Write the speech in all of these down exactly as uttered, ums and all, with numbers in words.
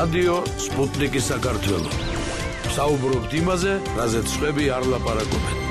რადიო სპუტნიკი საქართველო. საუბრობთ იმაზე, რაზეც სხვები არ ლაპარაკობენ.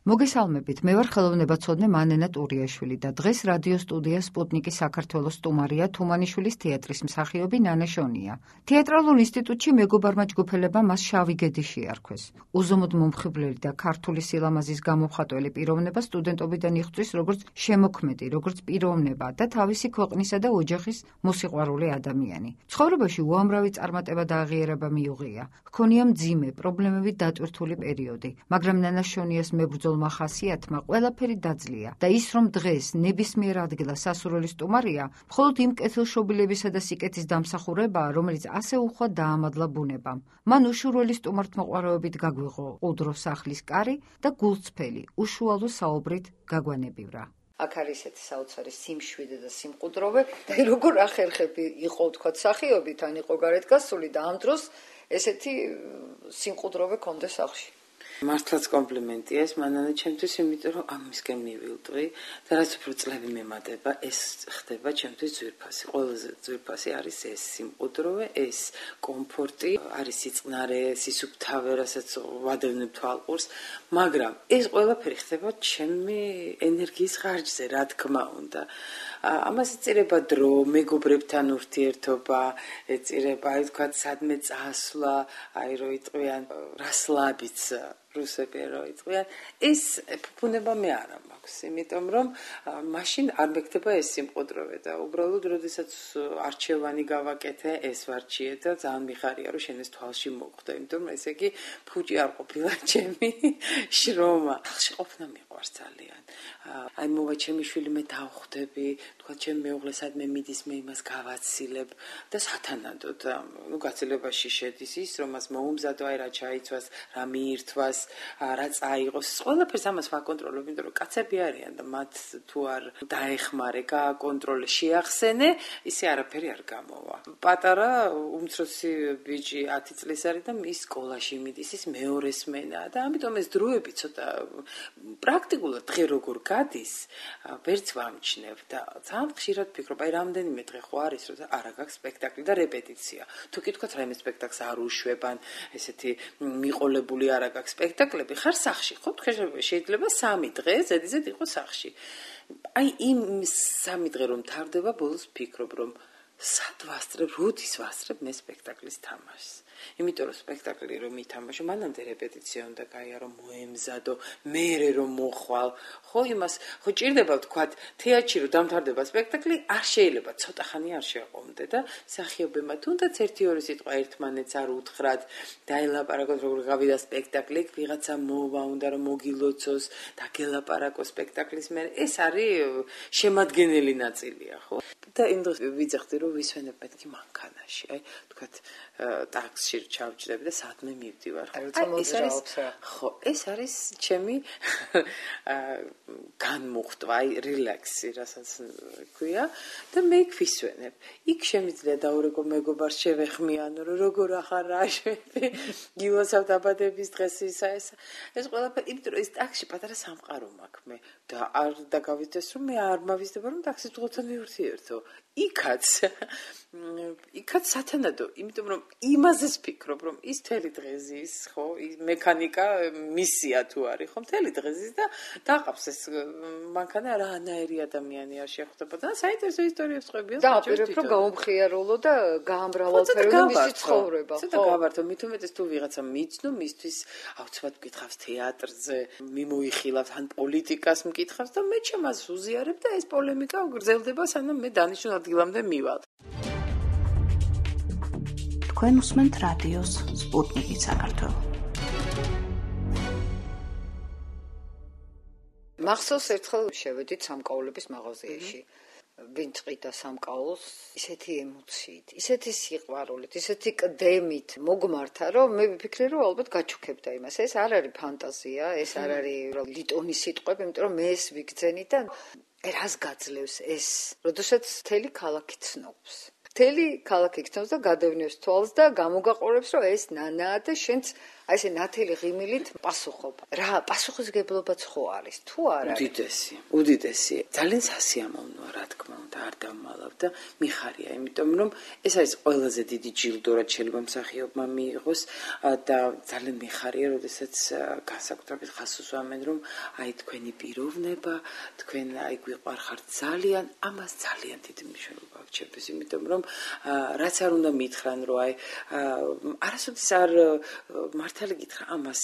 მოგესალმებით, მე ვარ ხელოვნებაცოდნე მანენა ტურიაშვილი და დღეს რადიო სტუდია სპუტნიკი საქართველოს სტუმარია თუმანიშვილის თეატრის მსახიობი ნანა შონია. თეატრალურ ინსტიტუტში მეგობარმა ჯგუფელებმა მას შავი გედი შეარქვეს. უზომოდ მომხიბვლელი და ქართული სილამაზის გამომხატველი პიროვნება სტუდენტობიდან იღწვის როგორც შემოქმედი, როგორც პიროვნება და თავისი ქვეყნისა და ოჯახის მოსიყვარული ადამიანი. ცხოვრებაში უამრავი წარმატება და აღიარება მიუღია. ჰქონია მძიმე, პრობლემებით დატვირთული პერიოდი, მაგრამ ნანა შონიას მებრძოლ ხასიათმა ყველაფერი დაძლია და ის რომ დღეს ნებისმიერ ადგილას სასურველი სტუმარია, მხოლოდ იმ კეთილშობილებისა და სიკეთის დამსახურებაა, რომელიც ასე უხვად დაამადლა ბუნებამ. მან უშურველი სტუმართმოყვარეობით გაგვიღო ყუდრო სახლის კარი და გულწრფელი, უშუალო საუბრით გაგვანებივრა. აქ არის ესეთი საოცარი სიმშვიდე და სიმყუდროვე და როგორ ახერხები იყო თქვა სახიობით, ან იყო გარეთ გასული და ამ დროს ესეთი სიმყუდროვე კონდეს სახლში. მართლაც კომპლიმენტია ეს მანანა ჩემთვის, იმიტომ რომ ამისკენ მივილტვი და რაც უფრო წლები მემატება, ეს ხდება ჩემთვის ძვირფასი. ყველაზე ძვირფასი არის ეს სიმყუდროვე, ეს კომფორტი, არის სიწყნარე, სისუფთავე, რასაც ვადევნებ თვალყურს, მაგრამ ეს ყველაფერი ხდება ჩემი ენერგიის ხარჯზე, რა თქმა უნდა. ამას ეწირება დრო, მეგობრებთან ურთიერთობა, ეწირება, აი ვთქვათ, სადმე წასვლა, აი რო იტყვიან რასლაბიც რუსები რო იტყვიან, ეს ფუფუნება მე არ მაქვს, იმიტომ რომ მაშინ არ მეკდება ეს სიმყუდროვე და უბრალოდ როდესაც არჩევანი გავაკეთე, ეს ვარჩიე და ძალიან მიხარია რომ შენ ეს თვალში მოხვდა, იმიტომ რომ ესე იგი ფუჭი არ ყოფილა ჩემი შრომა. ხალხში ყოფნა მიყვარს ძალიან. აი მოვა ჩემი შვილი, მე დავხვდები, თქვა ჩემი მეუღლე სადმე მიდის, მე იმას გავაცილებ და სათანადოდ, ნუ გაცილებაში შედის ის, რომ მას მოუმზადო, აი რა ჩაიცვას, რა მიირთვას, რა წაიღოს, ყველაფერს ამას ვაკონტროლებ, იმიტომ რომ კაცები არიან და მათ თუ არ დაეხმარე, გააკონტროლე, შეახსენე, ისე არაფერი არ გამოვა. პატარა უმცროსი ბიჭი ათი წლის არის და ის სკოლაში მიდის, ის მეორე სმენა და ამიტომ ეს დროები ცოტა პრაქტიკულად დღე როგორ გადის, ვერც ვამჩნევ და ძალიან ხშირად ვფიქრობ, აი რამდენიმე დღე ხო არის, რომ არა გაქვს სპექტაკლი და რეპეტიცია. თუ კი თქვათ რაიმე სპექტაკლს არ უშვებან, ესეთი მიყოლებული არა გაქვს სპექტაკლები, ხარ სახში, ხო? შეიძლება სამი დღე ზედიზედ იყო სახში. აი იმ სამი დღე რომ თარდება, ბოლოს ვფიქრობ, რომ სად ვასწრებ, როდის ვასწრებ მე სპექტაკლის თამაშს. იმიტომ რომ სპექტაკლი რომ ითამაშო, მანამდე რეპეტიცია უნდა გაიარო, მოემზადო, მერე რომ მოხვალ. ხო, იმას, ხო ჭირდება ვთქვათ, თეატრში რომ დამთავრდება სპექტაკლი, არ შეიძლება, ცოტა ხანი არ შეყომდე და მსახიობებმა თუნდაც ერთი ორი სიტყვა ერთმანეთს არ უთხრათ, დაელაპარაკოთ როგორ გავიდა სპექტაკლი, ვიღაცა მოვა, უნდა რომ მოგილოცოს, დაგელაპარაკო სპექტაკლის მერე. ეს არის შემადგენელი ნაწილია, ხო? და იმ დროს ვიძახდი რომ ვისვენებ მეთქი მანქანაში, აი, ვთქვათ, ტაქსში ჩავჭდები და სადმე მივდივარ. ეს არის ხო, ეს არის ჩემი განმუხტვა, აი რილაქსი, რასაც ქვია და მე ვისვენებ. იქ შემიძლია დაურეკო მეგობარს შევეხმიანო, რომ როგორ ახარ რა შვები, გილოცავ დაბადების დღეს ისა ეს. ეს ყველაფერი, იმიტომ რომ ეს ტაქსში პატარა სამყარო მაქვს მე და არ დაგავიდეს რომ მე არ მავიზდება რომ ტაქსის ძღოლთან მივურთიერთო. იქაც იქაც სათანადო, იმიტომ რომ იმაზე ვფიქრობ, რომ ის მთელი დღე ზის, ხო, მექანიკა მისია თუ არის, ხო, მთელი დღე ზის და დაყავს ეს მანქანა რანაირი ადამიანი არ შეხვდებოდა და საინტერესო ისტორიებს ყვებიან. და აპირებ რომ გაუმხიარულო და გაამრავალფეროვო მისი ცხოვრება, ხო. ცოტა გავართო, მით უმეტეს თუ ვიღაცა მიცნო, მისთვის აუცილებლად მკითხავს თეატრზე, მიმოიხილავს ან პოლიტიკას მკითხავს და მე ჩემას უზიარებ და ეს პოლემიკა გრძელდება, სანამ მე დანიშნულ ადგილამდე მივალ. თქვენ უსმენთ რადიოს სპუტნიკი საქართველო. მახსოვს ერთხელ შევედით სამკაულების მაღაზიაში. ვინ წყიდა სამკაულს ისეთი ემოციით, ისეთი სიყვარულით, ისეთი კდემით მოგმართა, რომ მე ვიფიქრე, რომ ალბათ გაჩუქებდა იმას. ეს არ არის ფანტაზია, ეს არ არის ლიტონის სიტყვები, იმიტომ რომ მე ეს ვიგრძენი და რას გაძლევს ეს, როდესაც მთელი ქალაქი ცნობს. მთელი ქალაქი გწნობს და გადავნებს თვალს და გამოგაყურებს, რომ ეს ნანაა და შენც აი ესე ნათელი ღიმილით პასუხობ. რა, პასუხისგებლობაც ხო არის, თუ არა? უდიდესი, უდიდესი. ძალიან სასიამოვნოა, რა თქმა უნდა, არ დამალა ვიყავ და მიხარია, იმიტომ რომ ეს არის ყველაზე დიდი ჯილდო, რაც შეიძლება მსახიობმა მიიღოს და ძალიან მიხარია, როდესაც განსაკუთრებით ხაზს უსვამენ, რომ აი თქვენი პიროვნება, თქვენ აი გვიყვარხართ ძალიან, ამას ძალიან დიდი მნიშვნელობა აქვს ჩემთვის, იმიტომ რომ რაც არ უნდა მითხრან, რომ აი არასოდეს არ მართალი გითხრა ამას,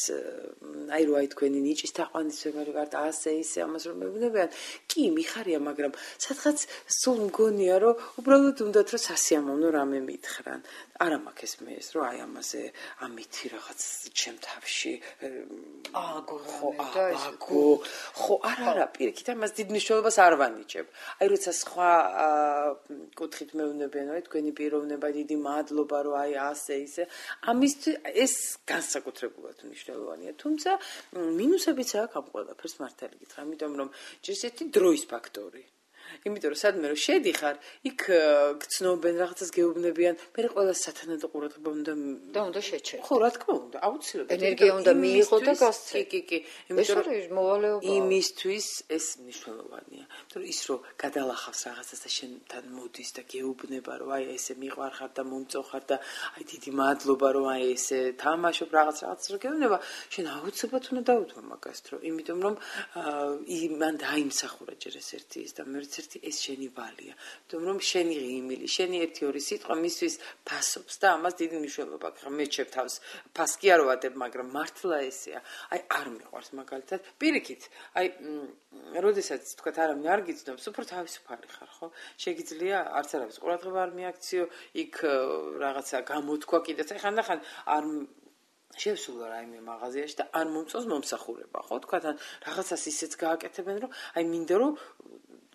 აი რომ აი თქვენი ნიჭის თაყვანისმცემელი ვართ, ასე ისე ამას რომ მეუბნებიან, კი მიხარია, მაგრამ სადღაც სულ მგონია, რომ უბრალოდ უნდათ რომ სასიამოვნო რამე მითხრან. არა მაქვს ეს მე ეს რომ აი ამაზე ამითი რაღაც ჩემ თავში აგო ხო აგო ხო არა არა პირიქით ამას დიდ მნიშვნელობას არ ვანიჭებ. აი როცა სხვა კუთხით მეუბნებიან, აი თქვენი პიროვნება დიდი მადლობა რომ აი ასე ისე ამისთვის ეს განსაკუთრებულად მნიშვნელოვანია. თუმცა მინუსებიც აქვს ამ ყველაფერს მართალი გითხრა, იმიტომ რომ ჯერ ერთი დროის ფაქტორი. იმიტომ რომ სადმე რომ შედიხარ, იქ გცნობენ რაღაცას გეუბნებიან, მე ყველას სათანადო ყურადღება უნდა და უნდა შეჩერდე. ხო, რა თქმა უნდა, აუცილებლად. ენერგია უნდა მიიღო და გასცე. კი, კი, კი. იმიტომ რომ მოვალეობა იმისთვის ეს მნიშვნელოვანია. იმიტომ რომ ის რომ გადალახავს რაღაცას და შენთან მოდის და გეუბნება, რომ აი ესე მიყვარხარ და მომწოხარ და აი დიდი მადლობა რომ აი ესე თამაშობ რაღაც რაღაცას რომ გეუბნება, შენ აუცილებლად უნდა დაუთმო მაგას დრო, იმიტომ რომ იმან დაიმსახურა ჯერ ეს ერთი ის და მეც ერთი ეს შენი ვალია. იმიტომ რომ შენი ღიმილი, შენი ერთი ორი სიტყვა მისთვის ფასობს და ამას დიდი მნიშვნელობა აქვს. მე ჩემ თავს ფას კი არ ვადებ, მაგრამ მართლა ესეა. აი არ მიყვარს მაგალითად. პირიქით, აი როდესაც თქვათ არავინ არ გიცნობს, უფრო თავისუფალი ხარ, ხო? შეგიძლია არც არავის ყურადღება არ მიაქციო, იქ რაღაცა გამოთქვა კიდეც. აი ხანდახან არ შევსულა რაიმე მაღაზიაში და არ მომწონს მომსახურება, ხო? თქვათ ან რაღაცას ისეც გააკეთებენ, რომ აი მინდა რომ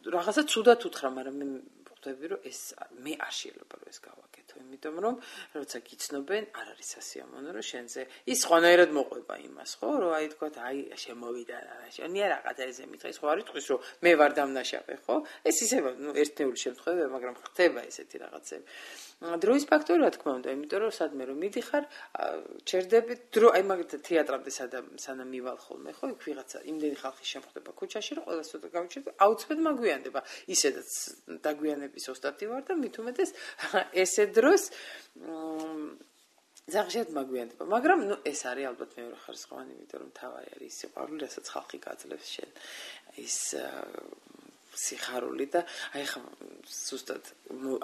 რაღაცა ცუდად უთხრა, მაგრამ მე ხვდები, რომ ეს მე არ შეიძლება რომ ეს გავაკეთო, იმიტომ რომ როცა გიცნობენ, არ არის სასიამოვნო, რომ შენზე ის ხვანაერად მოყვება იმას, ხო, რომ აი თქვათ, აი შემოვიდა შენია რაღაცა ესე მითხეს, ხო არის თქვის, რომ მე ვარ დამნაშავე, ხო? ეს ისევა, ნუ ერთნეული შემთხვევაა, მაგრამ ხდება ესეთი რაღაცები. დროის ფაქტორი რა თქმა უნდა, იმიტომ რომ სადმე რომ მიდიხარ, ჩერდები დრო, აი მაგალითად თეატრამდე სანამ მივალ ხოლმე, ხო, იქ ვიღაცა იმდენი ხალხი შემხვდება ქუჩაში, რომ ყველას ცოტა გავიჩერდე, აუცილებლად მაგვიანდება. ისედაც დაგვიანების ოსტატი ვარ და მით უმეტეს ესე დროს ზაღშად მაგვიანდება, მაგრამ ნუ ეს არის ალბათ მეორე ხარისხოვანი, იმიტომ რომ თავი არის სიყვარული, რასაც ხალხი გაძლევს შენ ის სიხარული და აი ხა ზუსტად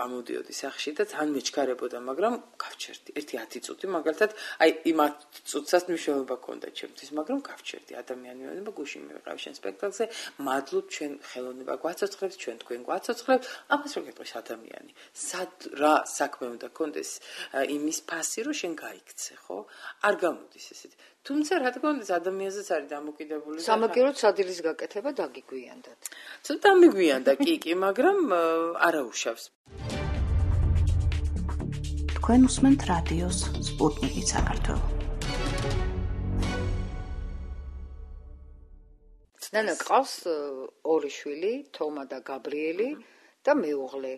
ამოდიოდი სახში და თან მეჩქარებოდა, მაგრამ გავჩერდი. ერთი ათი წუთი მაგალითად, აი იმ ათი წუთსაც მნიშვნელობა ჰქონდა ჩემთვის, მაგრამ გავჩერდი. ადამიანიანობა გუშინ მივიყავ შენ სპექტაკლზე, მადლობ ჩვენ ხელოვნება გვაცოცხლებს, ჩვენ თქვენ გვაცოცხლებთ, ამას რო გეტყვის ადამიანი. სად რა საქმე უნდა გქონდეს იმის ფასი, რომ შენ გაიქცე, ხო? არ გამოდის ესეთი. თუმცა რა თქმა უნდა ადამიანზეც არის დამოკიდებული. სამაგიეროდ სადილის გაკეთება დაგიგვიანდათ. ცოტა მიგვიანდა კი კი, მაგრამ არაუშავს. თქვენ უსმენთ რადიოს სპუტნიკი საქართველო. ნანა ყავს ორი შვილი, თომა და გაბრიელი და მეუღლე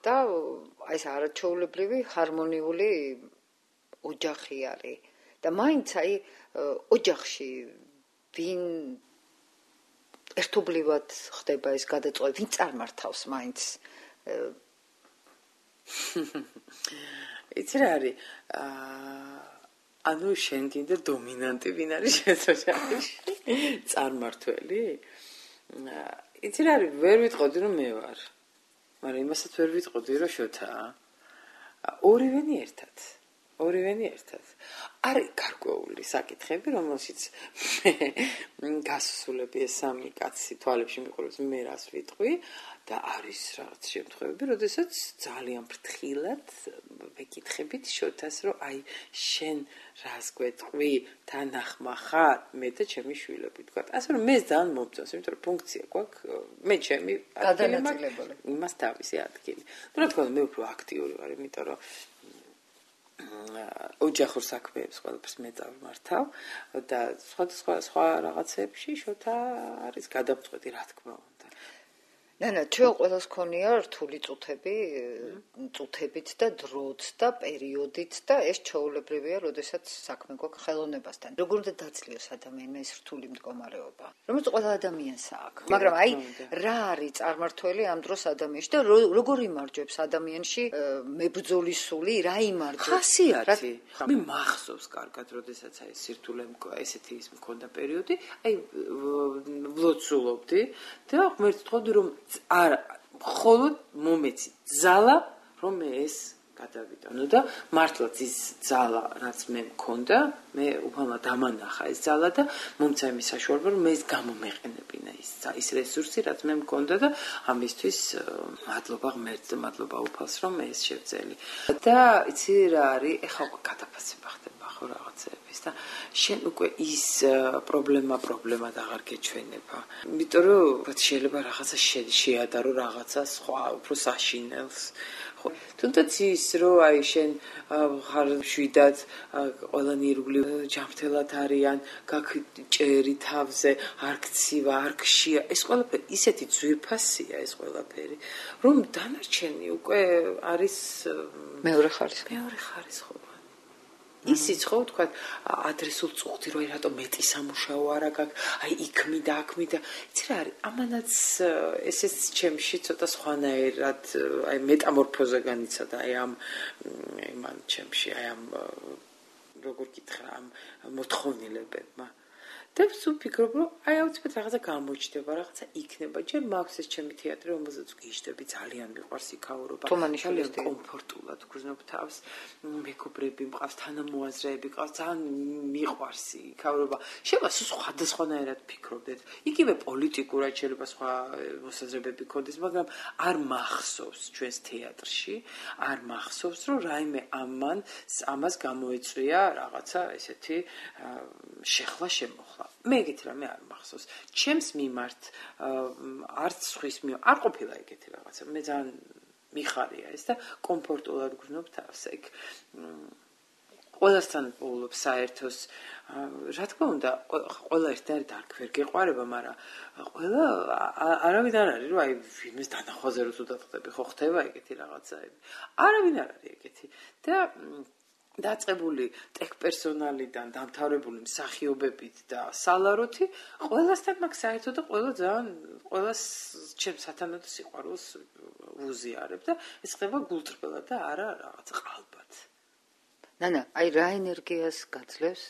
და აი ეს არაჩვეულებრივი ჰარმონიული ოჯახი არის. და მაინც აი ოჯახში ვინ ერთობლივად ხდება ეს გადაწყვეტა, ვინ წარმართავს მაინც? იცი რა არის? ანუ შენ კიდე დომინანტი ვინ არის შენ ოჯახში? წარმართველი? იცი რა არის? ვერ ვიტყოდი რომ მე ვარ. მაგრამ იმასაც ვერ ვიტყოდი რომ შოთაა. ორივენი ერთად. ორივენი ერთად. არის გარკვეული საკითხები, რომელშიც გასასვლელები ეს სამი კაცი თვალებში მიყურებს, მე რას ვიტყვი და არის რაღაც შემთხვევები, როდესაც ძალიან ფრთხილად ვეკითხებით შოთას, რომ აი შენ რას გვეტყვი, თან ახმა ხარ, მე და ჩემი შვილები, თქვა. ასე რომ მე ძალიან მომწონს, იმიტომ რომ ფუნქცია გვაქვს, მე ჩემი გადანაწილებული. იმას თავისი ადგილი. ну რა თქმა უნდა, მე უფრო აქტიური ვარ, იმიტომ რომ ოჯახურ საქმეებს ყველაფერს მე წავმართავ და სხვა სხვა სხვა რაღაცებში შოთა არის გადამწყვეტი, რა თქმა უნდა. ნანა, ჩვენ ყველას ქონია რთული წუთები, წუთებით და დროც და პერიოდით და ეს ჩაოლებრივია, როდესაც საქმე გვაქვს ხელოვნებასთან. როგორ უნდა დაძლიოს ადამიანმა ეს რთული მდგომარეობა? რომელიც ყველა ადამიანს აქვს. მაგრამ აი რა არის წარმართველი ამ დროს ადამიანში და როგორ იმარჯვებს ადამიანში მებრძოლის სული, რა იმარჯვებს? ხასიათი. მე მახსოვს კარგად, როდესაც აი სირთულე ესეთი ის მქონდა პერიოდი, აი ვლოცულობდი და ღმერთს ვთხოვდი რომ არა, მხოლოდ მომეცი ძალა, რომ მე ეს გადავიტანო და მართლაც ის ძალა, რაც მე მქონდა, მე უბრალოდ დამანახა ეს ძალა და მომცა იმის საშუალება, რომ მე ეს გამომეყენებინა ის ის რესურსი, რაც მე მქონდა და ამისთვის მადლობა ღმერთს და მადლობა უფალს, რომ მე ეს შევძელი. და იცი რა არის, ეხლა გადაფასება ხდება ხო რაღაცების და შენ უკვე ის პრობლემა პრობლემად აღარ გეჩვენება. იმიტომ რომ შეიძლება რაღაცა შეადარო რაღაცა სხვა უფრო საშინელს. ხო, თუნდაც ის რომ აი შენ ხარ შვიდად ყველანი ირგვლივ ჯანმრთელად არიან, გაგჭერი თავზე, არ გცივა, არ გშია, ეს ყველაფერი ისეთი ძვირფასია ეს ყველაფერი, რომ დანარჩენი უკვე არის მეორე ხარისხი. მეორე ხარისხი. ისიც ხო თქვა ადრესულ წუხდი რომ აი რატომ მეტი სამუშაო არა გაქვს, აი იქმი და აქმი და იცი რა არის, ამანაც ესეც ჩემში ცოტა სხვანაირად აი მეტამორფოზა განიცადა აი ამ იმან ჩემში აი ამ როგორ გითხრა ამ მოთხოვნილებებმა. და ვფიქრობ რომ აი აუცილებლად რაღაცა გამოჩნდება, რაღაცა იქნება. ჯერ მაქვს ეს ჩემი თეატრი, რომელზეც ვგიჟდები, ძალიან მიყვარს იქაურობა. თუმანიშვილის კომფორტულად ვგრძნობ თავს, მეგობრები მყავს, თანამოაზრეები მყავს, ძალიან მიყვარს იქაურობა. შეიძლება სხვადასხვანაირად ფიქრობდეთ. იგივე პოლიტიკურად შეიძლება სხვა მოსაზრებები გქონდეს, მაგრამ არ მახსოვს ჩვენს თეატრში, არ მახსოვს რომ რაიმე ამან ამას გამოეწვია რაღაცა ესეთი შეხლა შემოხლა. მე ეგეთი რამე არ მახსოვს. ჩემს მიმართ არც სხვის მიმართ არ ყოფილა ეგეთი რაღაცა. მე ძალიან მიხარია ეს და კომფორტულად გრძნობ თავს ეგ. ყველასთან ვუვლობ საერთოს. რა თქმა უნდა, ყველა ერთად არ ვერ გეყვარება, მაგრამ ყველა არავინ არ არის, რომ აი ვინმეს დანახვაზე რო თუ დაწყვეტები, ხო ხდება ეგეთი რაღაცაები. არავინ არ არის ეგეთი. და დაწყებული ტექ პერსონალიდან დამთავრებული მსახიობებით და სალაროთი ყველასთან მაგ საერთოდ და ყველა ძალიან ყველას ჩემს სათანადო სიყვარულს ვუზიარებ და ეს ხდება გულწრფელად და არა რაღაცა ყალბად. ნანა, აი რა ენერგიას გაძლევს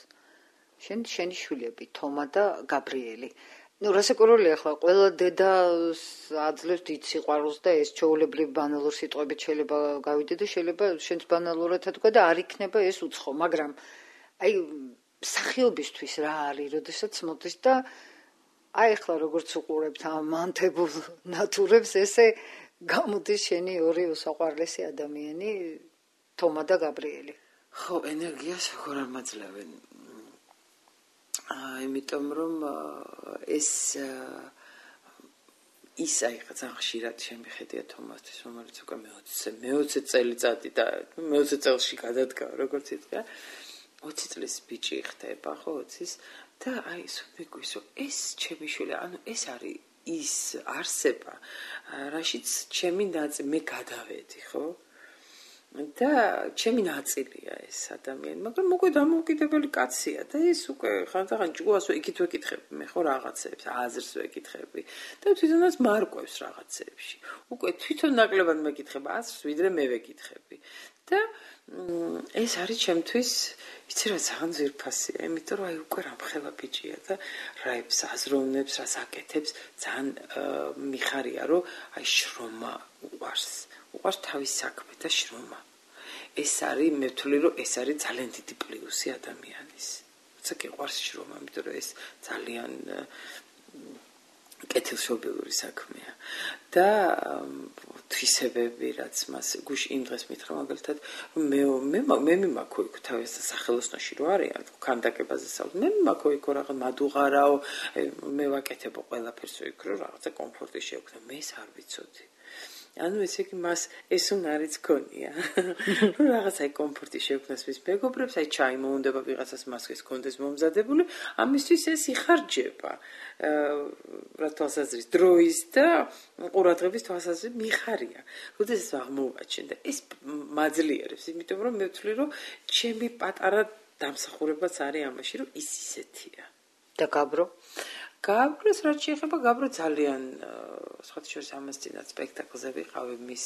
შენ შენი შვილები თომა და გაბრიელი. ნუ რასაკვირველია ახლა ყველა დედას აძლევს დიდ სიყვარულს და ეს ჩაოლებრივი ბანალურ სიტყვებით შეიძლება გავიდე და შეიძლება შენც ბანალურად თქვა და არ იქნება ეს უცხო, მაგრამ აი მსახიობისთვის რა არის, როდესაც მოდის და აი ახლა როგორც უყურებთ ამ მანთებულ ნატურებს, ესე გამოდის შენი ორი უსაყვარლესი ადამიანი თომა და გაბრიელი. ხო, ენერგიას როგორ არ მაძლევენ. იმიტომ რომ ეს ის აი ძალიან ხშირად შემიხედია თომასთვის, რომელიც უკვე მეოცე წელიწადი და მეოცე წელში გადადგა, როგორც ითქვა. ოცი წლის ბიჭი ხდება, ხო, ოცის და აი მეგვის რომ ეს ჩემი შვილი, ანუ ეს არის ის არსება, რაშიც ჩემი ნაწილი მე გადავედი, ხო? და ჩემი ნაწილია ეს ადამიანი, მაგრამ უკვე დამოუკიდებელი კაცია და ეს უკვე ხანდახან ჭკუას ვეკით ვეკითხები, მე ხო რაღაცებს, აზრს ვეკითხები და თვითონაც მარკვევს რაღაცებში. უკვე თვითონ ნაკლებად მეკითხება აზრს, ვიდრე მე ვეკითხები. და ეს არის ჩემთვის, იცი რა, ძალიან ძვირფასია, იმიტომ რომ აი უკვე რამხელა ბიჭია და რაებს აზროვნებს, რას აკეთებს, ძალიან მიხარია, რომ აი შრომა უყვარს. უყვარს თავის საქმე და შრომა. ეს არის, მე ვთვლი, რომ ეს არის ძალიან დიდი პლუსი ადამიანის. როცა გიყვარს შრომა, იმიტომ რომ ეს ძალიან კეთილშობილური საქმეა. და თვისებები, რაც მას გუშინ იმ დღეს მითხრა მაგალითად, რომ მე მე მე მიმაქო იქ თავის სახელოსნოში რო არიან, ქანდაკებაზე საუბრობ. მე მიმაქო იქ რაღაც მადუღარაო, მე ვაკეთებო ყველაფერს იქ, რომ რაღაცა კომფორტი შევქნა. მე ეს არ ვიცოდი. ანუ ესე იგი მას ეს უნარიც ქონია. რომ რაღაც აი კომფორტი შეექმნას მის მეგობრებს, აი ჩაი მოუნდება ვიღაცას მასკის კონდეს მომზადებული, ამისთვის ეს იხარჯება. რა თვალსაზრისით დროის და ყურადღების თვალსაზრისით მიხარია. როდესაც აღმოვაჩენ და ეს მაძლიერებს, იმიტომ რომ მე ვთვლი რომ ჩემი პატარა დამსახურებაც არის ამაში, რომ ის ისეთია. და გაბრო? გაბროს რაც შეეხება გაბრო ძალიან სხვათა შორის ამას წინათ სპექტაკლზე ვიყავი მის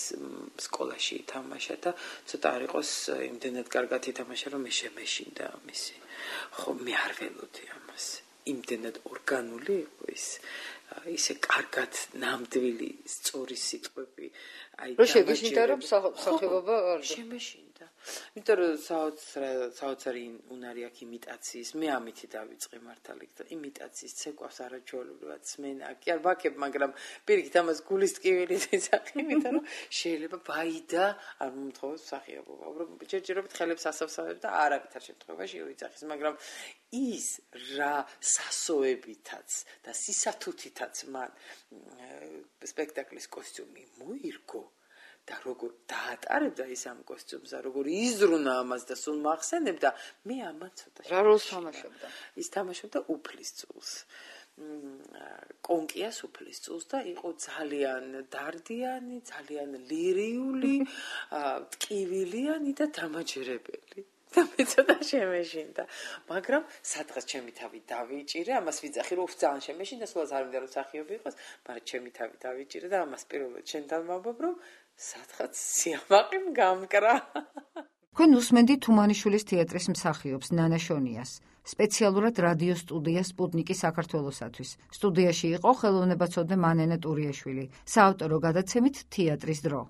სკოლაში ითამაშა და ცოტა არ იყოს იმდენად კარგად ითამაშა რომ მე შემეშინდა მისი. ხო მე არ ველოდი ამას. იმდენად ორგანული იყო ის ისე კარგად ნამდვილი სწორი სიტყვები აი და შეგეშინდა რომ სახეობა არ შემეშინდა. იმიტომ რომ საოცარი უნარი აქვს იმიტაციის, მე ამითი დავიწყე მართალი და იმიტაციის ცეკვავს არაჩვეულებრივად სმენა კი არ ვაკებ, მაგრამ პირიქით ამას გულის ტკივილი ეძახი, იმიტომ რომ შეიძლება ვაიდა არ მომთხოვოს მსახიობობა. უბრალოდ ჯერჯერობით ხელებს ასავსავებ და არავითარ შემთხვევაში ვიძახის, მაგრამ ის რა სასოებითაც და სისათუთითაც მან სპექტაკლის კოსტიუმი მოირგო და როგორ დაატარებდა ის ამ კოსტიუმს და როგორ იზრუნა ამას და სულ მახსენებდა, მე ამან ცოტა რა როლს თამაშობდა? ის თამაშობდა უფლისწულს. კონკიას უფლისწულს და იყო ძალიან დარდიანი, ძალიან ლირიული, ტკივილიანი და დამაჯერებელი. და მე ცოტა შემეშინდა, მაგრამ სადღაც ჩემი თავი დავიჭირე, ამას ვიძახი რომ ძალიან შემეშინდა, სულაც არ მინდა რომ მსახიობი იყოს, მაგრამ ჩემი თავი დავიჭირე და ამას პირველად შენთან ვამბობ, რომ სადღაც სიამაყე გამკრა. თქვენ უსმენდით თუმანიშვილის თეატრის მსახიობს ნანა შონიას, სპეციალურად რადიო სტუდია სპუტნიკი საქართველოსათვის. სტუდიაში იყო ხელოვნებაცოდნე მანენა ტურიაშვილი, საავტორო გადაცემით თეატრის დრო.